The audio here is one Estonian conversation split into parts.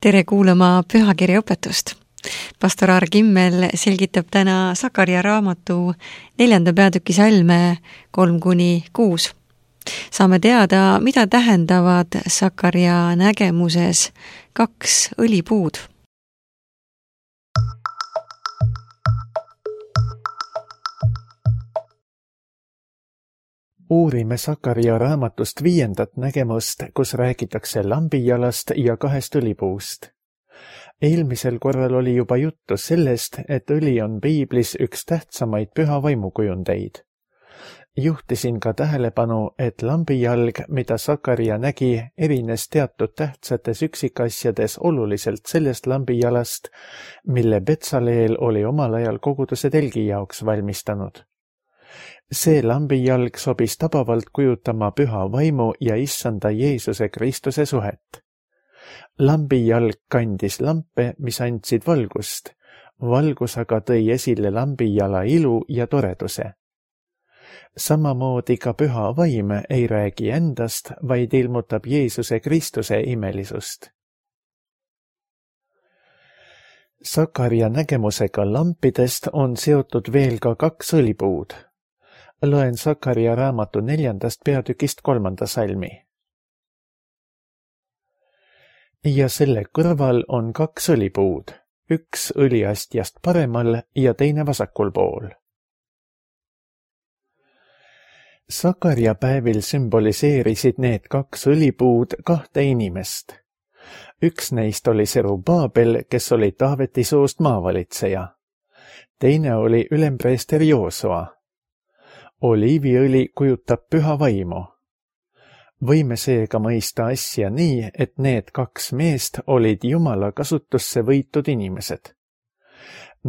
Tere kuulama pühakirja õpetust. Pastor Aar Kimmel selgitab täna Sakaria raamatu 4. peatüki salme 3-6. Saame teada, mida tähendavad Sakaria nägemuses 2 õlipuud. Uurime Sakaria raamatust 5. nägemust, kus räägitakse lambijalast ja 2 õlipuust. Eelmisel korral oli juba juttu sellest, et õli on piiblis üks tähtsamaid püha vaimukujundeid. Juhtisin ka tähelepanu, et lambijalg, mida Sakaria nägi, erines teatud tähtsates üksikasjades oluliselt sellest lambijalast, mille Betsaleel oli omal ajal koguduse telgi jaoks valmistanud. See lambijalg sobis tabavalt kujutama püha vaimu ja issanda Jeesuse Kristuse suhet. Lambijalg kandis lampe, mis andsid valgust. Valgus aga tõi esile lambijala ilu ja toreduse. Samamoodi ka püha vaim ei räägi endast, vaid ilmutab Jeesuse Kristuse imelisust. Sakaria nägemusega lampidest on seotud veel ka 2 õlipuud. Loen Sakaria raamatu 4. peatükist 3. salmi. Ja selle kõrval on 2 õlipuud, üks õliastjast paremal ja teine vasakul pool. Sakaria päevil sümboliseerisid need 2 õlipuud 2 inimest. Üks neist oli Serubaabel, kes oli Taaveti soost maavalitseja. Teine oli ülempreester Joosua. Oliiviõli kujutab püha vaimu. Võime seega mõista asja nii, et need 2 meest olid Jumala kasutusse võitud inimesed.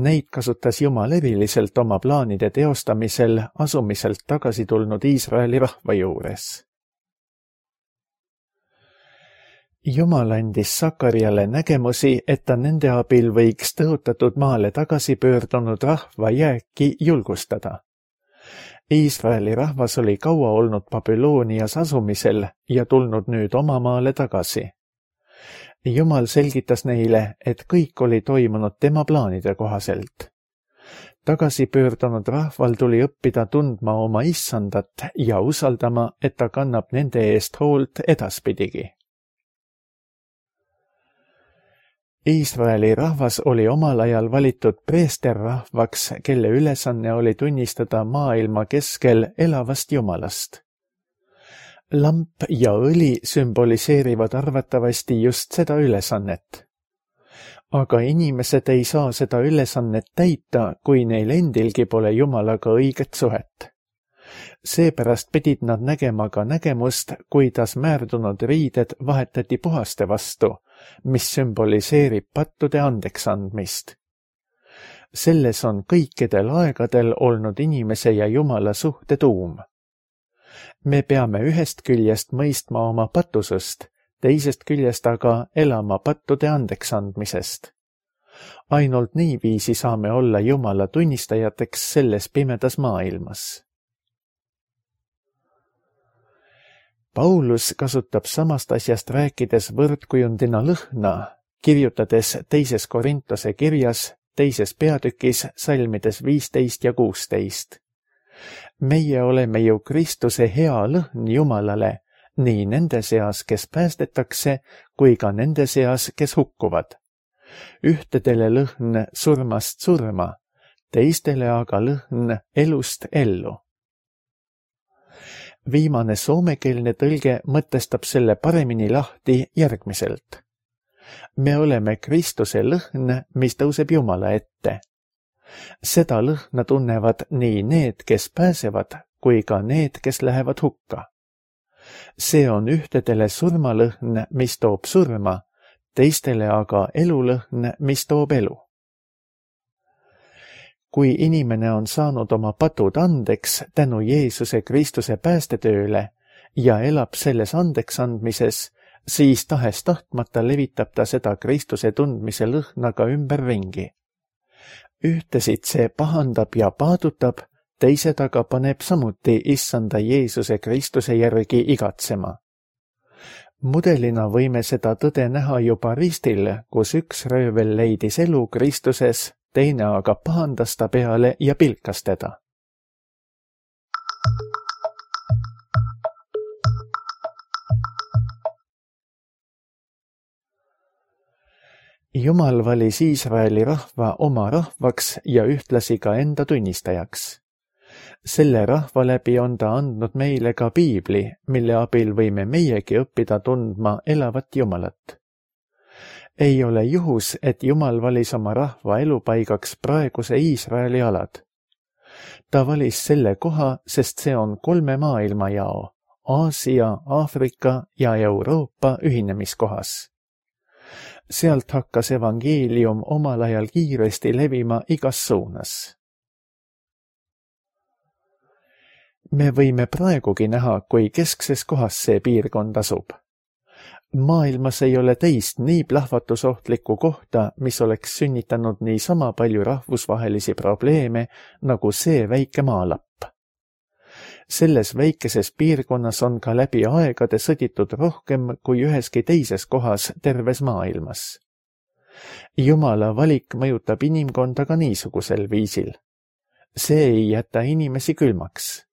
Neid kasutas Jumal eriliselt oma plaanide teostamisel asumiselt tagasi tulnud Iisraeli rahva juures. Jumal andis Sakariale nägemusi, et ta nende abil võiks tõotatud maale tagasi pöördunud rahva jääki julgustada. Iisraeli rahvas oli kaua olnud Babylonias asumisel ja tulnud nüüd oma maale tagasi. Jumal selgitas neile, et kõik oli toimunud tema plaanide kohaselt. Tagasi pöördunud rahval tuli õppida tundma oma issandat ja usaldama, et ta kannab nende eest hoolt edaspidigi. Iisraeli rahvas oli omal ajal valitud preesterrahvaks, kelle ülesanne oli tunnistada maailma keskel elavast Jumalast. Lamp ja õli sümboliseerivad arvatavasti just seda ülesannet. Aga inimesed ei saa seda ülesannet täita, kui neil endilgi pole Jumalaga õiget suhet. Seepärast pidid nad nägema ka nägemust, kuidas määrdunud riided vahetati puhaste vastu, mis sümboliseerib pattude andeks andmist. Selles on kõikidel aegadel olnud inimese ja Jumala suhte tuum. Me peame ühest küljest mõistma oma patusust, teisest küljest aga elama pattude andeks andmisest. Ainult niiviisi saame olla Jumala tunnistajateks selles pimedas maailmas. Paulus kasutab samast asjast rääkides võrdkujundina lõhna, kirjutades 2. Korintuse kirjas 2. peatükis salmides 15 ja 16. Meie oleme ju Kristuse hea lõhn Jumalale, nii nende seas, kes päästetakse, kui ka nende seas, kes hukkuvad. Ühtedele lõhn surmast surma, teistele aga lõhn elust ellu. Viimane soomekeelne tõlge mõtestab selle paremini lahti järgmiselt. Me oleme Kristuse lõhn, mis tõuseb Jumala ette. Seda lõhna tunnevad nii need, kes pääsevad, kui ka need, kes lähevad hukka. See on ühtedele surmalõhn, mis toob surma, teistele aga elulõhn, mis toob elu. Kui inimene on saanud oma patud andeks tänu Jeesuse Kristuse päästetööle ja elab selles andeks andmises, siis tahes tahtmata levitab ta seda Kristuse tundmise lõhnaga ümberringi. Ühtesid see pahandab ja paadutab, teised aga paneb samuti issanda Jeesuse Kristuse järgi igatsema. Mudelina võime seda tõde näha juba ristil, kus üks röövel leidis elu Kristuses, teine aga pahandas ta peale ja pilkas teda. Jumal valis Iisraeli rahva oma rahvaks ja ühtlasi ka enda tunnistajaks. Selle rahva läbi on ta andnud meile ka piibli, mille abil võime meiegi õppida tundma elavat Jumalat. Ei ole juhus, et Jumal valis oma rahva elupaigaks praeguse Iisraeli alad. Ta valis selle koha, sest see on 3 maailmajao, Aasia, Aafrika ja Euroopa ühinemiskohas. Sealt hakkas evangeelium omal ajal kiiresti levima igas suunas. Me võime praegugi näha, kui keskses kohas see piirkond asub. Maailmas ei ole teist nii plahvatusohtlikku kohta, mis oleks sünnitanud nii sama palju rahvusvahelisi probleeme, nagu see väike maalapp. Selles väikeses piirkonnas on ka läbi aegade sõditud rohkem kui üheski teises kohas terves maailmas. Jumala valik mõjutab inimkonda ka niisugusel viisil. See ei jäta inimesi külmaks.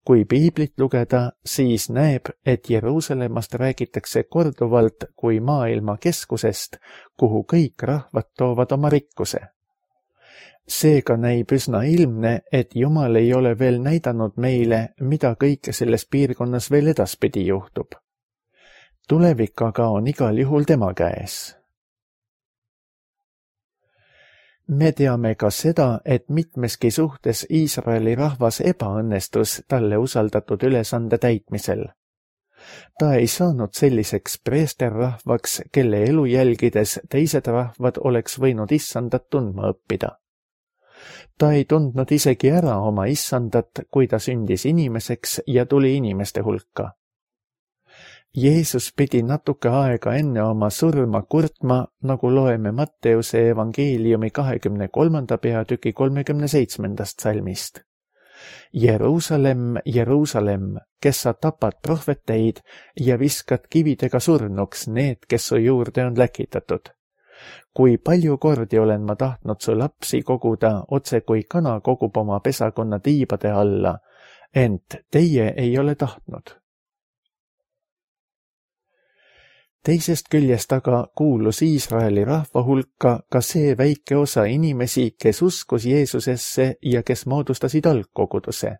Kui piiblit lugeda, siis näeb, et Jeruusalemmast räägitakse korduvalt kui maailma keskusest, kuhu kõik rahvad toovad oma rikkuse. Seega näib üsna ilmne, et Jumal ei ole veel näidanud meile, mida kõike selles piirkonnas veel edaspidi juhtub. Tulevik aga on igal juhul tema käes. Me teame ka seda, et mitmeski suhtes Iisraeli rahvas ebaõnnestus talle usaldatud ülesande täitmisel. Ta ei saanud selliseks preesterrahvaks, kelle elu jälgides teised rahvad oleks võinud issandat tundma õppida. Ta ei tundnud isegi ära oma issandat, kui ta sündis inimeseks ja tuli inimeste hulka. Jeesus pidi natuke aega enne oma surma kurtma, nagu loeme Matteuse evangeeliumi 23. peatüki 37. salmist. Jeruusalemm, Jeruusalemm, kes sa tapad prohveteid ja viskad kividega surnuks need, kes su juurde on läkitatud. Kui palju kordi olen ma tahtnud su lapsi koguda, otse kui kana kogub oma pesakonna tiibade alla, ent teie ei ole tahtnud. Teisest küljest aga kuulus Iisraeli rahva hulka ka see väike osa inimesi, kes uskus Jeesusesse ja kes moodustasid algkoguduse.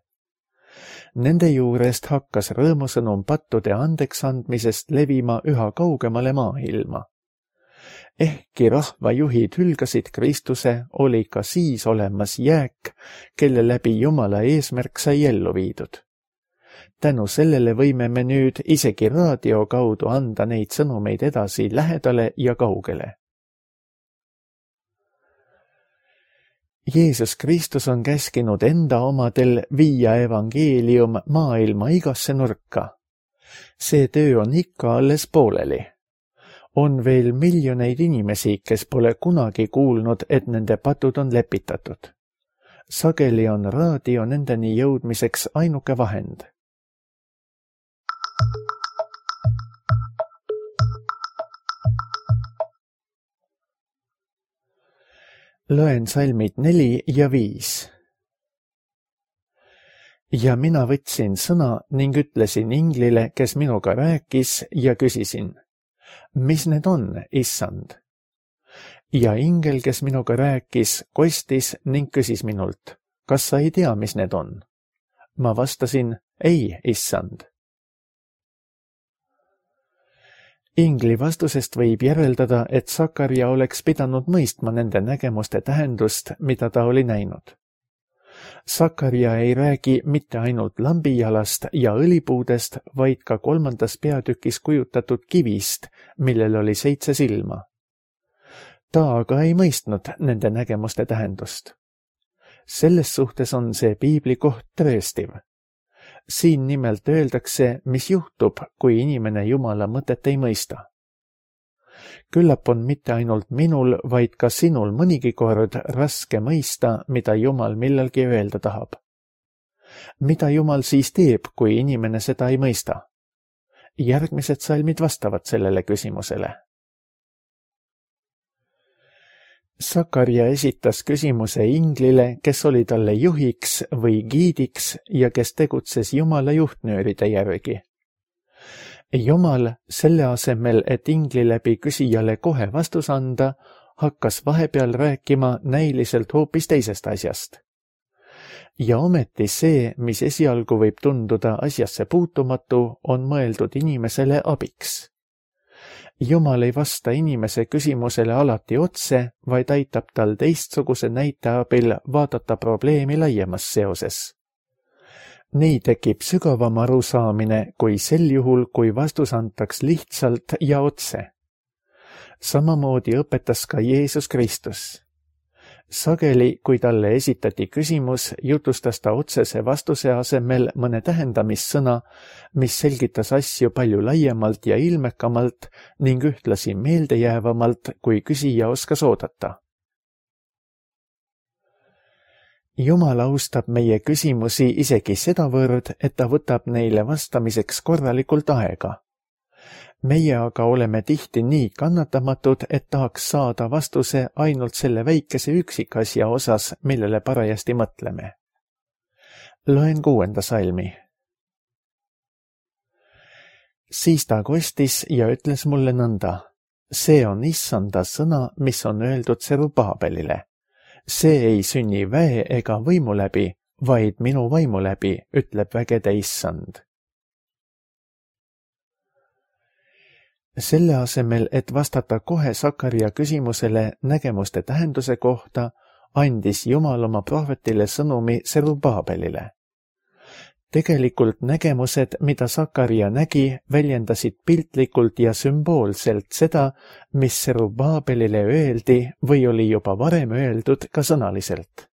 Nende juurest hakkas rõõmusõnum pattude andeksandmisest levima üha kaugemale maailma. Ehkki rahvajuhid hülgasid Kristuse, oli ka siis olemas jääk, kelle läbi Jumala eesmärk sai ellu viidud. Tänu sellele võime me nüüd isegi raadio kaudu anda neid sõnumeid edasi lähedale ja kaugele. Jeesus Kristus on käskinud enda omadel viia evangeelium maailma igasse nurka. See töö on ikka alles pooleli. On veel miljoneid inimesi, kes pole kunagi kuulnud, et nende patud on lepitatud. Sageli on raadio nendeni jõudmiseks ainuke vahend. Loen salmid 4 ja 5. Ja mina võtsin sõna ning ütlesin inglile, kes minuga rääkis, ja küsisin, mis need on, issand? Ja ingel, kes minuga rääkis, kostis ning küsis minult, kas sa ei tea, mis need on? Ma vastasin, ei, issand. Ingli vastusest võib järeldada, et Sakarja oleks pidanud mõistma nende nägemuste tähendust, mida ta oli näinud. Sakarja ei räägi mitte ainult lambijalast ja õlipuudest, vaid ka 3. peatükis kujutatud kivist, millel oli 7 silma. Ta aga ei mõistnud nende nägemuste tähendust. Selles suhtes on see piibli koht tõestiv. Siin nimelt öeldakse, mis juhtub, kui inimene Jumala mõtet ei mõista. Küllap on mitte ainult minul, vaid ka sinul mõnigi kord raske mõista, mida Jumal millalgi öelda tahab. Mida Jumal siis teeb, kui inimene seda ei mõista? järgmised salmid vastavad sellele küsimusele. Sakarja esitas küsimuse inglile, kes oli talle juhiks või giidiks ja kes tegutses Jumala juhtnööride järgi. Jumal selle asemel, et ingli läbi küsijale kohe vastus anda, hakkas vahepeal rääkima näiliselt hoopis teisest asjast. Ja ometi see, mis esialgu võib tunduda asjasse puutumatu, on mõeldud inimesele abiks. Jumal ei vasta inimese küsimusele alati otse, vaid aitab tal teistsuguse näite abil vaadata probleemi laiemas seoses. Nii tekib sügavam arusaamine kui sel juhul, kui vastus antaks lihtsalt ja otse. Samamoodi õpetas ka Jeesus Kristus. Sageli, kui talle esitati küsimus, jutustas ta otsese vastuse asemel mõne tähendamissõna, mis selgitas asju palju laiemalt ja ilmekamalt ning ühtlasi meeldejäävamalt, kui küsija oskas oodata. Jumal austab meie küsimusi isegi sedavõrd, et ta võtab neile vastamiseks korralikult aega. Meie aga oleme tihti nii kannatamatud, et tahaks saada vastuse ainult selle väikese üksikasja osas, millele parajasti mõtleme. Loen 6. salmi. Siis ta kostis ja ütles mulle nõnda. See on issanda sõna, mis on öeldud Serubabelile. See ei sünni väe ega võimu läbi, vaid minu vaimu läbi, ütleb vägede issand. Selle asemel, et vastata kohe Sakarja küsimusele nägemuste tähenduse kohta, andis Jumal oma prohvetile sõnumi Serubabelile. Tegelikult nägemused, mida Sakarja nägi, väljendasid piltlikult ja sümboolselt seda, mis Serubabelile öeldi või oli juba varem öeldud ka sõnaliselt.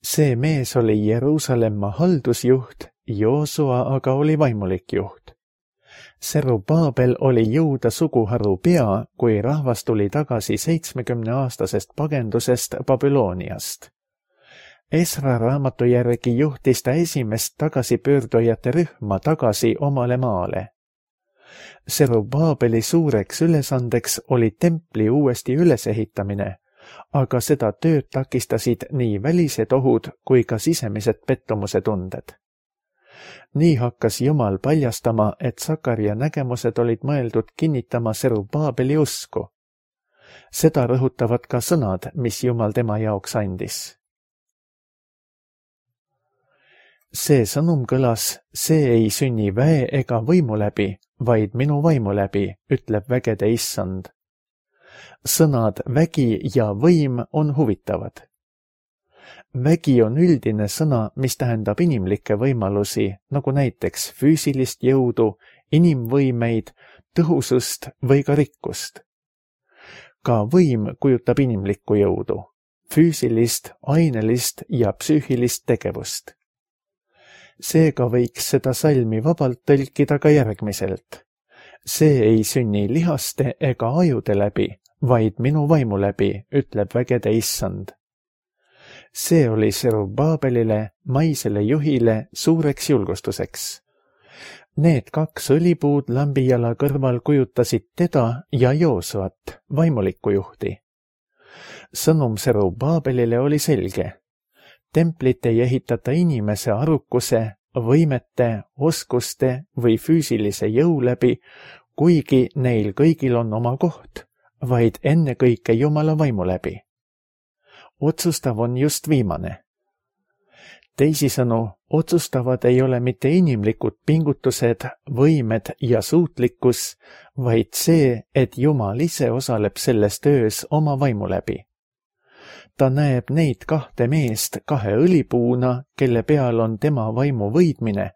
See mees oli Jeruusalemma haldusjuht, Joosua aga oli vaimulik juht. Serubabel oli Juuda suguharu pea, kui rahvas tuli tagasi 70-aastasest pagendusest Babyloniast. Esra raamatu järgi juhtis ta esimest tagasipöördujate rühma tagasi omale maale. Serubabeli suureks ülesandeks oli templi uuesti ülesehitamine, aga seda tööd takistasid nii välised ohud kui ka sisemised pettumuse tunded. Nii hakkas Jumal paljastama, et Sakarja nägemused olid mõeldud kinnitama Serubabeli usku. Seda rõhutavad ka sõnad, mis Jumal tema jaoks andis. See sõnum kõlas, see ei sünni väe ega võimu läbi, vaid minu vaimu läbi, ütleb vägede issand. Sõnad vägi ja võim on huvitavad. Vägi on üldine sõna, mis tähendab inimlikke võimalusi, nagu näiteks füüsilist jõudu, inimvõimeid, tõhusust või ka rikkust. Ka võim kujutab inimlikku jõudu, füüsilist, ainelist ja psüühilist tegevust. Seega võiks seda salmi vabalt tõlkida ka järgmiselt. See ei sünni lihaste ega ajude läbi, vaid minu vaimu läbi, ütleb vägede issand. See oli Serubabelile, maisele juhile, suureks julgustuseks. Need 2 õlipuud lambijala kõrval kujutasid teda ja Joosuat, vaimulikku juhti. Sõnum Serubabelile oli selge. Templit ei ehitata inimese arukuse, võimete, oskuste või füüsilise jõu läbi, kuigi neil kõigil on oma koht, vaid ennekõike Jumala vaimu läbi. Otsustav on just viimane. Teisisõnu, otsustavad ei ole mitte inimlikud pingutused, võimed ja suutlikkus, vaid see, et Jumal ise osaleb selles töös oma vaimu läbi. Ta näeb neid 2 meest 2 õlipuuna, kelle peal on tema vaimu võidmine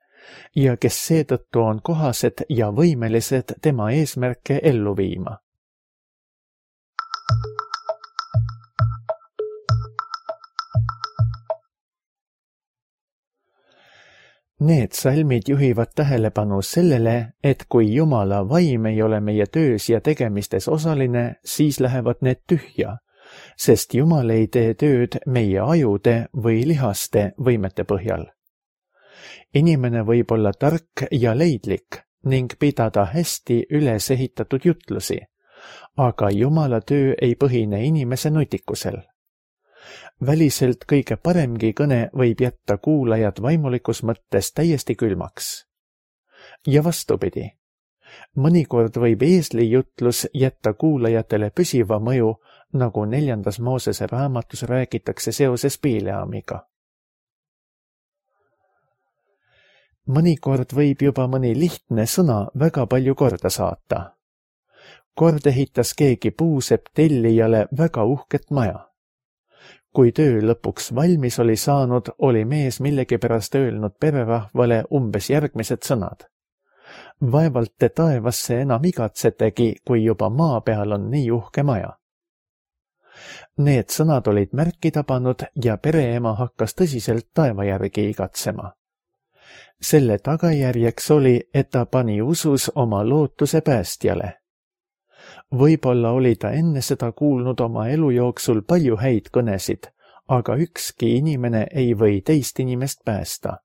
ja kes seetõttu on kohased ja võimelised tema eesmärke ellu viima. Need salmid juhivad tähelepanu sellele, et kui Jumala vaim ei ole meie töös ja tegemistes osaline, siis lähevad need tühja, sest Jumal ei tee tööd meie ajude või lihaste võimete põhjal. Inimene võib olla tark ja leidlik, ning pidada hästi üles ehitatud jutlusi, aga Jumala töö ei põhine inimese nutikusel. Väliselt kõige paremgi kõne võib jätta kuulajad vaimulikus mõttes täiesti külmaks. Ja vastupidi, mõnikord võib eesli jutlus jätta kuulajatele püsiva mõju, nagu 4. Moosese raamatus räägitakse seoses Bileamiga. Mõnikord võib juba mõni lihtne sõna väga palju korda saata. Kord ehitas keegi puusepp tellijale väga uhket maja. Kui töö lõpuks valmis oli saanud, oli mees millegipärast öelnud pererahvale umbes järgmised sõnad. Vaevalt te taevasse enam igatsetegi, kui juba maa peal on nii uhke maja. Need sõnad olid märki tabanud ja pereema hakkas tõsiselt taeva järgi igatsema. Selle tagajärjeks oli, et ta pani usus oma lootuse päästjale. Võib-olla oli ta enne seda kuulnud oma elu jooksul palju häid kõnesid, aga ükski inimene ei või teist inimest päästa.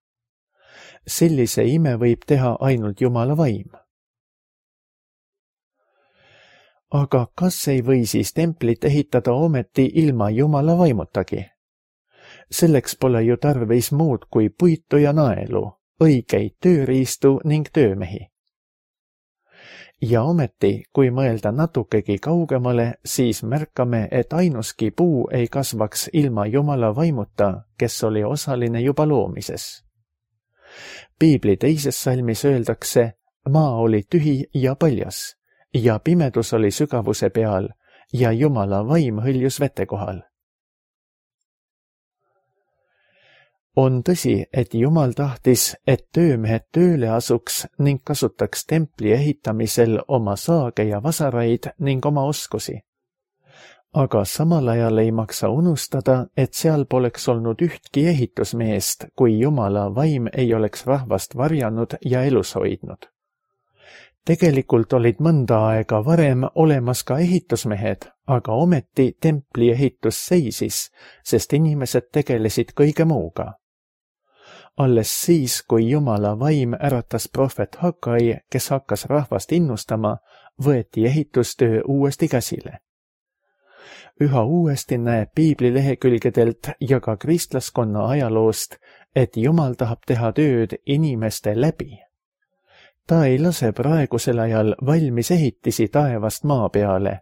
Sellise ime võib teha ainult Jumala vaim. Aga kas ei või siis templit ehitada ometi ilma Jumala vaimutagi? Selleks pole ju tarvis muud kui puitu ja naelu, õigeid tööriistu ning töömehi. Ja ometi, kui mõelda natukegi kaugemale, siis märkame, et ainuski puu ei kasvaks ilma Jumala vaimuta, kes oli osaline juba loomises. Piibli 2. salmis öeldakse, maa oli tühi ja paljas, ja pimedus oli sügavuse peal, ja Jumala vaim hõljus vete kohal. On tõsi, et Jumal tahtis, et töömehed tööle asuks ning kasutaks templi ehitamisel oma saage ja vasaraid ning oma oskusi. Aga samal ajal ei maksa unustada, et seal poleks olnud ühtki ehitusmeest, kui Jumala vaim ei oleks rahvast varjanud ja elus hoidnud. Tegelikult olid mõnda aega varem olemas ka ehitusmehed, aga ometi templi ehitus seisis, sest inimesed tegelesid kõige muuga. Alles siis, kui Jumala vaim äratas prohvet Hagai, kes hakkas rahvast innustama, võeti ehitustöö uuesti käsile. Üha uuesti näeb Piibli lehekülgedelt ja ka kristlaskonna ajaloost, et Jumal tahab teha tööd inimeste läbi. Ta ei lase praegusel ajal valmis ehitisi taevast maa peale,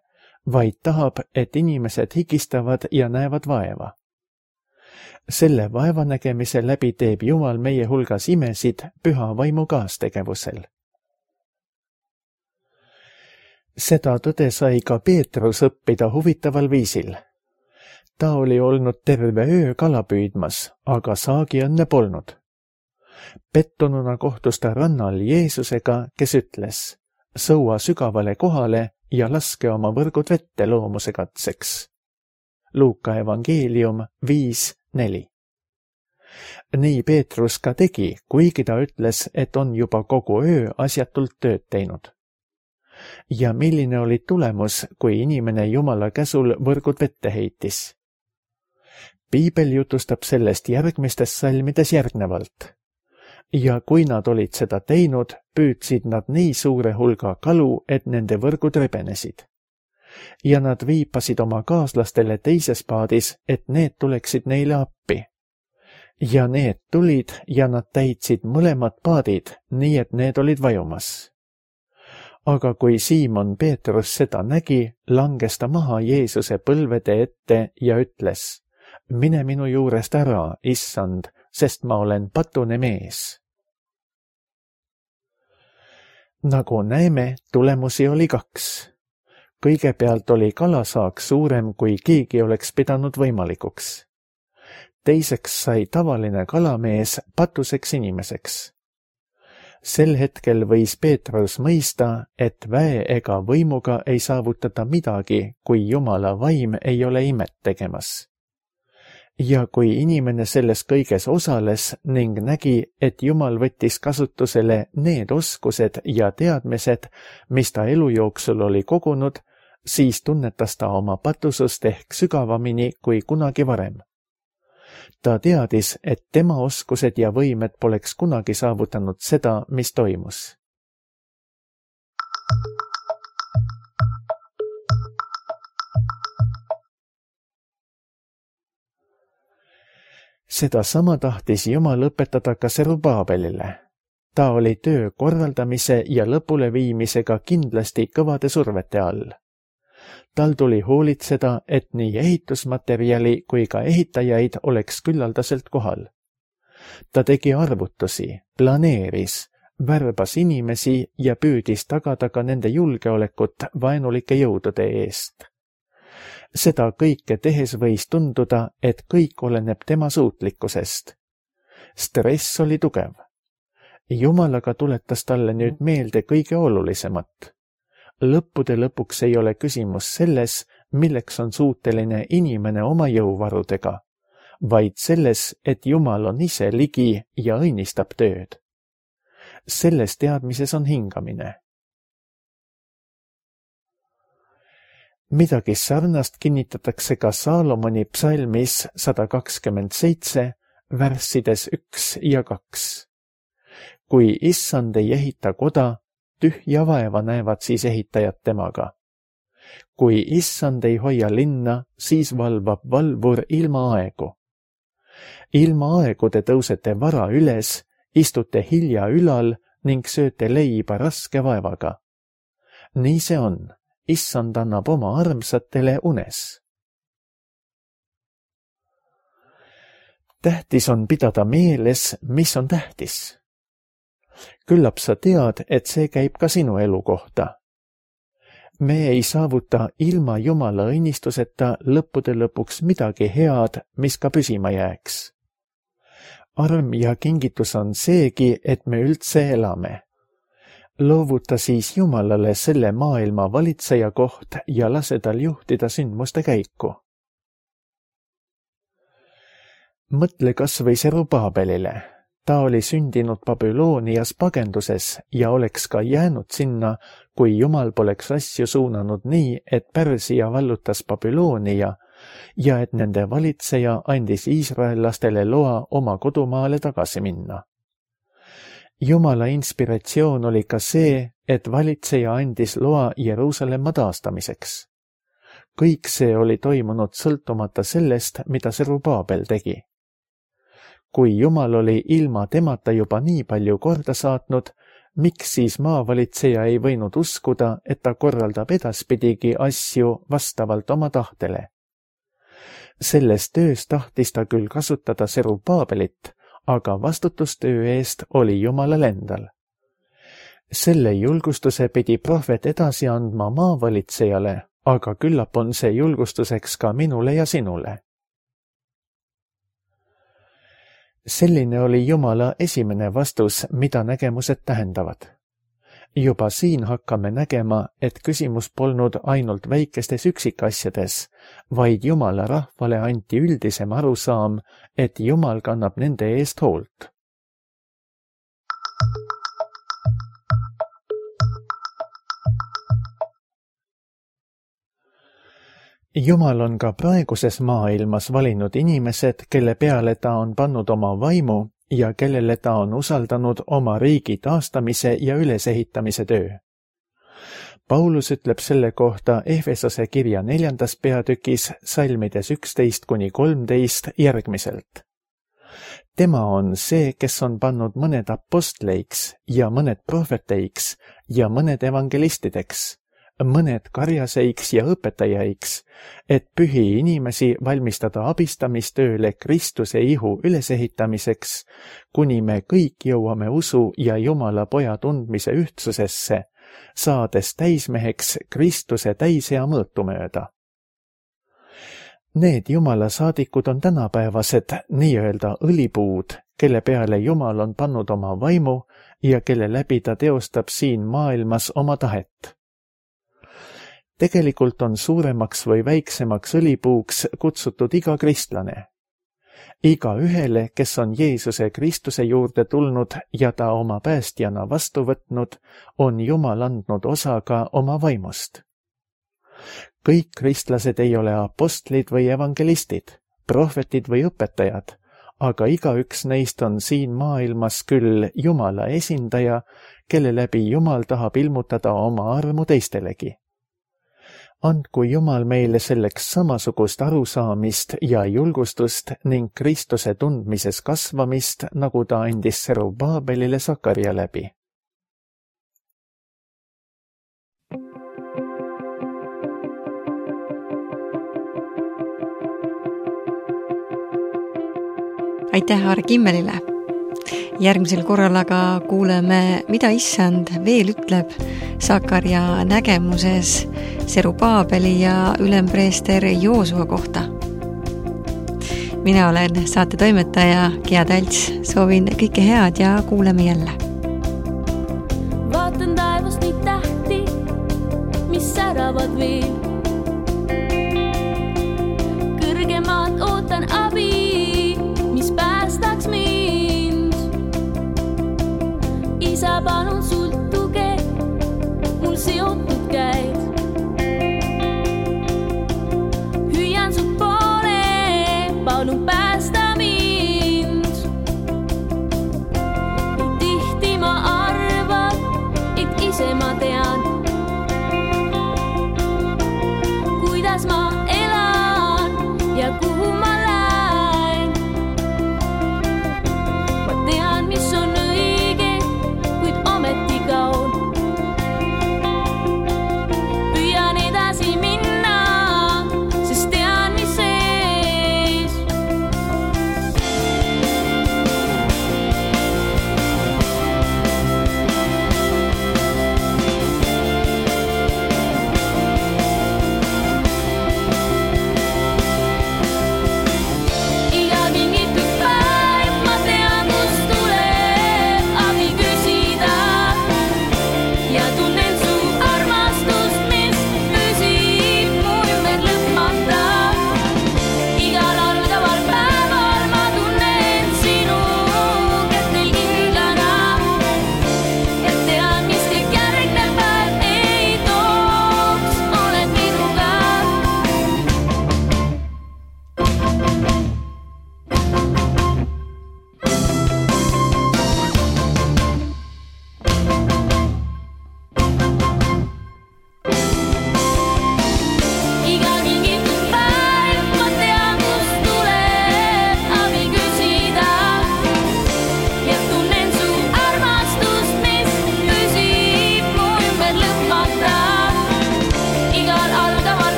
vaid tahab, et inimesed higistavad ja näevad vaeva. Selle vaevanägemise läbi teeb Jumal meie hulgas imesid püha vaimu kaastegevusel. Seda tõde sai ka Peetrus õppida huvitaval viisil. Ta oli olnud terve öö kala püüdmas, aga saagiõnne polnud. Pettununa kohtus ta rannal Jeesusega, kes ütles, sõua sügavale kohale ja laske oma võrgud vette loomuse katseks. Luuka evangeelium 5:4. Nii Peetrus ka tegi, kuigi ta ütles, et on juba kogu öö asjatult tööd teinud. Ja milline oli tulemus, kui inimene Jumala käsul võrgud vette heitis? Piibel jutustab sellest järgmistes salmides järgnevalt. Ja kui nad olid seda teinud, püüdsid nad nii suure hulga kalu, et nende võrgud rebenesid. Ja nad viipasid oma kaaslastele teises paadis, et need tuleksid neile appi. Ja need tulid ja nad täitsid mõlemad paadid, nii et need olid vajumas. Aga kui Siimon Peetrus seda nägi, langes ta maha Jeesuse põlvede ette ja ütles, mine minu juurest ära, issand, sest ma olen patune mees. Nagu näeme, tulemusi oli 2. Kõigepealt oli kalasaak suurem, kui keegi oleks pidanud võimalikuks. Teiseks sai tavaline kalamees patuseks inimeseks. Sel hetkel võis Peetrus mõista, et väe ega võimuga ei saavutata midagi, kui Jumala vaim ei ole imet tegemas. Ja kui inimene selles kõiges osales ning nägi, et Jumal võttis kasutusele need oskused ja teadmised, mis ta elu jooksul oli kogunud, siis tunnetas ta oma patusust ehk sügavamini kui kunagi varem. Ta teadis, et tema oskused ja võimed poleks kunagi saavutanud seda, mis toimus. Sedasama tahtis Jumal õpetada ka Serubaabelile. Ta oli töö korraldamise ja lõpuleviimisega kindlasti kõvade survete all. Tal tuli hoolitseda, et nii ehitusmaterjali kui ka ehitajaid oleks küllaldaselt kohal. Ta tegi arvutusi, planeeris, värbas inimesi ja püüdis tagada ka nende julgeolekut vaenulike jõudude eest. Seda kõike tehes võis tunduda, et kõik oleneb tema suutlikkusest. Stress oli tugev. Jumal aga tuletas talle nüüd meelde kõige olulisemat. Lõppude lõpuks ei ole küsimus selles, milleks on suuteline inimene oma jõuvarudega, vaid selles, et Jumal on ise ligi ja õnnistab tööd. Selles teadmises on hingamine. Midagi sarnast kinnitatakse ka Saalomoni psalmis 127, värssides 1 ja 2. Kui issand ei ehita koda, tühja vaeva näevad siis ehitajad temaga. Kui issand ei hoia linna, siis valvab valvur ilma aegu. Ilma aegude tõusete vara üles, istute hilja ülal ning sööte leiba raske vaevaga. Nii see on. Issand annab oma armsatele unes. Tähtis on pidada meeles, mis on tähtis. Küllap sa tead, et see käib ka sinu elu kohta. Me ei saavuta ilma Jumala õnnistuseta lõppude lõpuks midagi head, mis ka püsima jääks. Arm ja kingitus on seegi, et me üldse elame. Loovuta siis Jumalale selle maailma valitseja koht ja lase tal juhtida sündmuste käiku. Mõtle kas või Serubaabelile. Ta oli sündinud Babylonias pagenduses ja oleks ka jäänud sinna, kui Jumal poleks asju suunanud nii, et Pärsia vallutas Babylonia ja et nende valitseja andis iisraellastele loa oma kodumaale tagasi minna. Jumala inspiratsioon oli ka see, et valitseja andis loa Jeruusalemma taastamiseks. Kõik see oli toimunud sõltumata sellest, mida Serubaabel tegi. Kui Jumal oli ilma temata juba nii palju korda saatnud, miks siis maavalitseja ei võinud uskuda, et ta korraldab edaspidigi asju vastavalt oma tahtele? Selles töös tahtis ta küll kasutada Serubaabelit, aga vastutustöö eest oli Jumalal endal. Selle julgustuse pidi prohvet edasi andma maavalitsejale, aga küllap on see julgustuseks ka minule ja sinule. Selline oli Jumala esimene vastus, mida nägemused tähendavad. Juba siin hakkame nägema, et küsimus polnud ainult väikestes üksikasjades, vaid Jumala rahvale anti üldisem arusaam, et Jumal kannab nende eest hoolt. Jumal on ka praeguses maailmas valinud inimesed, kelle peale ta on pannud oma vaimu ja kellele ta on usaldanud oma riigi taastamise ja ülesehitamise töö. Paulus ütleb selle kohta Efesose kirja 4. peatükis salmides 11-13 järgmiselt. Tema on see, kes on pannud mõned apostleiks ja mõned prohveteiks ja mõned evangelistideks, mõned karjaseiks ja õpetajaiks, et pühi inimesi valmistada abistamistööle Kristuse ihu ülesehitamiseks, kuni me kõik jõuame usu ja Jumala poja tundmise ühtsusesse, saades täismeheks Kristuse täisea mõõtu mööda. Need Jumala saadikud on tänapäevased nii-öelda õlipuud, kelle peale Jumal on pannud oma vaimu ja kelle läbi ta teostab siin maailmas oma tahet. Tegelikult on suuremaks või väiksemaks õlipuuks kutsutud iga kristlane. Iga ühele, kes on Jeesuse Kristuse juurde tulnud ja ta oma päästjana vastu võtnud, on Jumal andnud osa ka oma vaimust. Kõik kristlased ei ole apostlid või evangelistid, prohvetid või õpetajad, aga igaüks neist on siin maailmas küll Jumala esindaja, kelle läbi Jumal tahab ilmutada oma armu teistelegi. Andku Jumal meile selleks samasugust arusaamist ja julgustust ning Kristuse tundmises kasvamist, nagu ta andis Serubaabelile Sakaria läbi. Aitäh Arg Immelile! Järgmisel korral aga kuuleme, mida Issand veel ütleb Sakaria nägemuses Serubaabeli ja ülempreester Joosua kohta. Mina olen saate toimetaja Gea Talts, soovin kõike head ja kuuleme jälle. Vaatan taevast neid tähti, mis säravad veel. Kõrgemaad ootan abi, mis päästaks mind. Isa, palun sult tuge, mul seotud käed. Hüüan su poole, palun